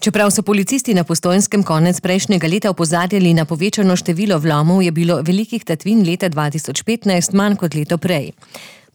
Čeprav so policisti na Postojnskem konec prejšnjega leta opozarjali na povečano število vlomov, je bilo velikih tatvin leta 2015 manj kot leto prej.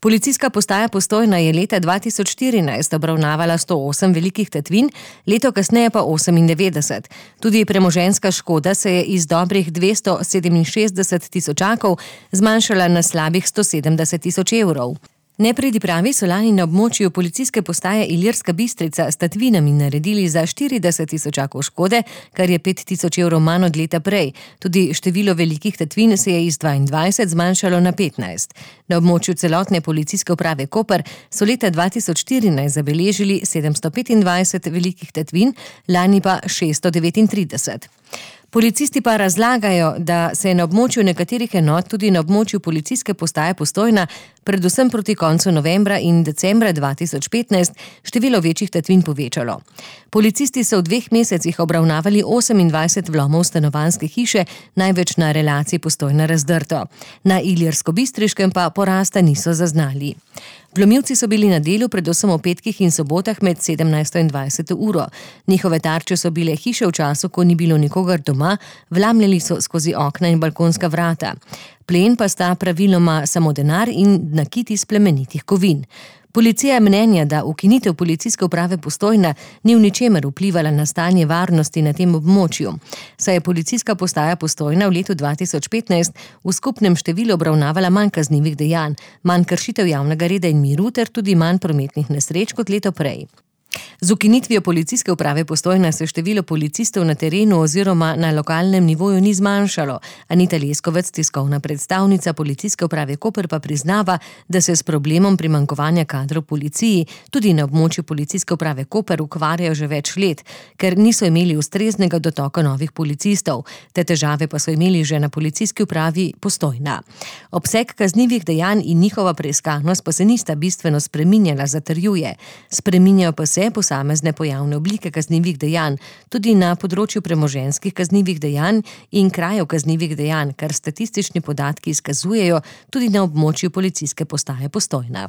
Policijska postaja Postojna je leta 2014 obravnavala 108 velikih tatvin, leto kasneje pa 98. Tudi premoženjska škoda se je iz dobrih 267 tisočakov zmanjšala na slabih 170 tisoč evrov. Nepridipravi so lani na območju policijske postaje Ilirska Bistrica s tatvinami naredili za 40 tisočakov škode, kar je 5 tisoč evrov manj od leta prej. Tudi število velikih tatvin se je iz 22 zmanjšalo na 15. Na območju celotne policijske uprave Koper so leta 2014 zabeležili 725 velikih tatvin, lani pa 639. Policisti pa razlagajo, da se je na območju nekaterih enot, tudi na območju policijske postaje Postojna, predvsem proti koncu novembra in decembra 2015 število večjih tatvin povečalo. Policisti so v 2 mesecih obravnavali 28 vlomov stanovanjske hiše, največ na relaciji Postojna-Razdrto. Na Ilirsko-Bistriškem pa porasta niso zaznali. Vlomilci so bili na delu predvsem v petkih in sobotah med 17. in 20. uro. Njihove tarče so bile hiše v času, ko ni bilo nikogar doma, vlamljali so skozi okna in balkonska vrata. Plen pa sta praviloma samo denar in nakit iz plemenitih kovin. Policija je mnenja, da ukinitev policijske uprave Postojna ni v ničemer vplivala na stanje varnosti na tem območju. Saj je policijska postaja Postojna v letu 2015 v skupnem številu obravnavala manj kaznivih dejanj, manj kršitev javnega reda in miru ter tudi manj prometnih nesreč kot leto prej. Z ukinitvijo policijske uprave Postojna se število policistov na terenu oziroma na lokalnem nivoju ni zmanjšalo. Anita Leskovec, tiskovna predstavnica policijske uprave Koper, pa priznava, da se s problemom primanjkovanja kadrov v policiji tudi na območju policijske uprave Koper ukvarjajo že več let, ker niso imeli ustreznega dotoka novih policistov. Te težave pa so imeli že na policijski upravi Postojna. Obseg kaznivih dejanj in njihova preiskanost pa se nista bistveno spreminjala, zatrjuje. Spreminjajo pa se posamezne pojavne oblike kaznivih dejanj, tudi na področju premoženjskih kaznivih dejanj in krajev kaznivih dejanj, kar statistični podatki izkazujejo tudi na območju policijske postaje Postojna.